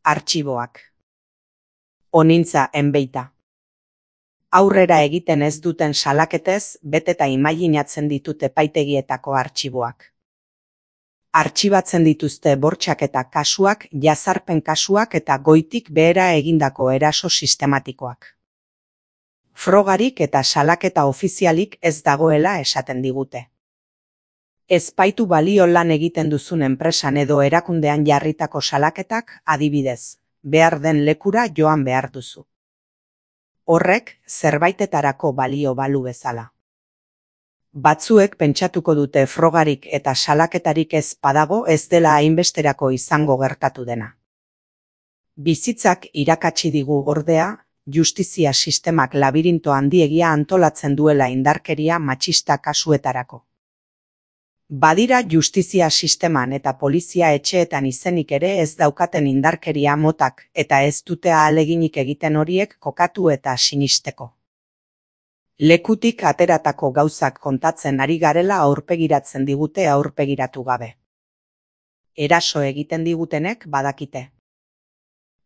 Artxiboak. Onintza enbeita. Aurrera egiten ez duten salaketez, beteta imaginatzen ditut epaitegietako artxiboak. Artxibatzen dituzte bortxaketa kasuak, jazarpen kasuak eta goitik behera egindako eraso sistematikoak. Frogarik eta salaketa ofizialik ez dagoela esaten digute. Ez baitu balio lan egiten duzun enpresan edo erakundean jarritako salaketak, adibidez, behar den lekura joan behar duzu. Horrek zerbaitetarako balio balu bezala. Batzuek pentsatuko dute frogarik eta salaketarik ez badago ez dela hainbesterako izango gertatu dena. Bizitzak irakatsi digu ordea, justizia sistemak labirinto handiegia antolatzen duela indarkeria matxista kasuetarako. Badira justizia sisteman eta polizia etxeetan izenik ere ez daukaten indarkeria motak eta ez dute ahaleginik egiten horiek kokatu eta sinisteko. Lekutik ateratako gauzak kontatzen ari garela aurpegiratzen digute aurpegiratu gabe. Eraso egiten digutenek badakite.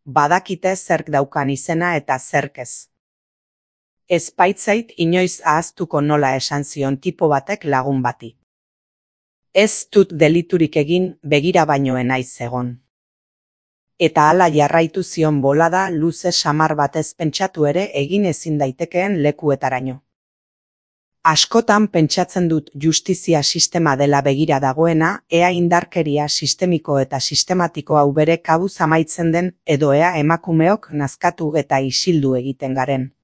Badakite zerk daukan izena eta zerk ez. Ez baitzait inoiz ahaztuko nola esan zion tipo batek lagun bati. Ez dut deliturik egin, begira baino naiz egon. Eta hala jarraitu zion bolada luze samar batez pentsatu ere egin ezin daitekeen lekuetaraino. Askotan pentsatzen dut justizia sistema dela begira dagoena, ea indarkeria sistemiko eta sistematiko hau bere kabuz amaitzen den edo ea emakumeok nazkatu eta isildu egiten garen.